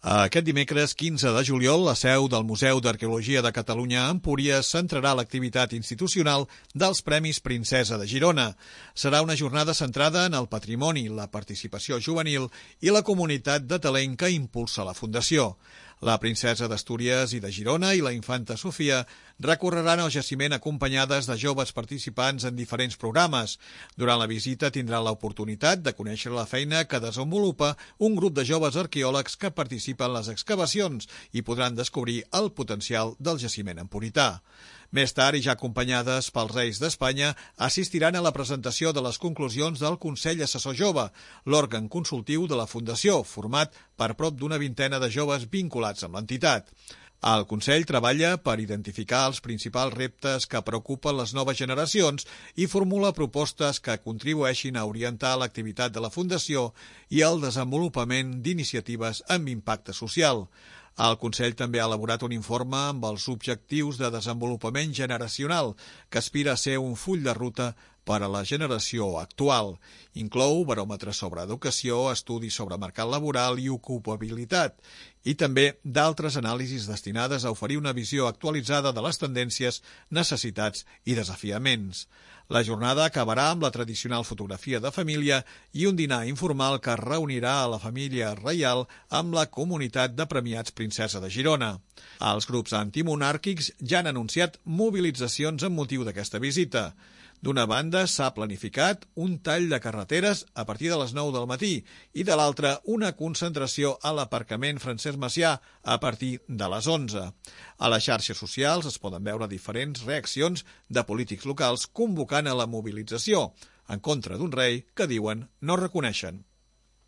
Aquest dimecres 15 de juliol, la seu del Museu d'Arqueologia de Catalunya a Empúries centrarà l'activitat institucional dels Premis Princesa de Girona. Serà una jornada centrada en el patrimoni, la participació juvenil i la comunitat de talent que impulsa la Fundació. La princesa d'Astúries i de Girona i la infanta Sofia recorreran el jaciment acompanyades de joves participants en diferents programes. Durant la visita tindran l'oportunitat de conèixer la feina que desenvolupa un grup de joves arqueòlegs que participen en les excavacions i podran descobrir el potencial del jaciment empurità. Més tard, i ja acompanyades pels Reis d'Espanya, assistiran a la presentació de les conclusions del Consell Assessor Jove, l'òrgan consultiu de la Fundació, format per prop d'una vintena de joves vinculats amb l'entitat. El Consell treballa per identificar els principals reptes que preocupen les noves generacions i formula propostes que contribueixin a orientar l'activitat de la Fundació i el desenvolupament d'iniciatives amb impacte social. El Consell també ha elaborat un informe amb els objectius de desenvolupament generacional, que aspira a ser un full de ruta per a la generació actual. Inclou baròmetres sobre educació, estudis sobre mercat laboral i ocupabilitat, i també d'altres anàlisis destinades a oferir una visió actualitzada de les tendències, necessitats i desafiaments. La jornada acabarà amb la tradicional fotografia de família i un dinar informal que reunirà a la família reial amb la comunitat de premiats Princesa de Girona. Els grups antimonàrquics ja han anunciat mobilitzacions amb motiu d'aquesta visita. D'una banda, s'ha planificat un tall de carreteres a partir de les 9 del matí i de l'altra una concentració a l'aparcament Francesc Macià a partir de les 11. A les xarxes socials es poden veure diferents reaccions de polítics locals convocant a la mobilització en contra d'un rei que diuen no reconeixen.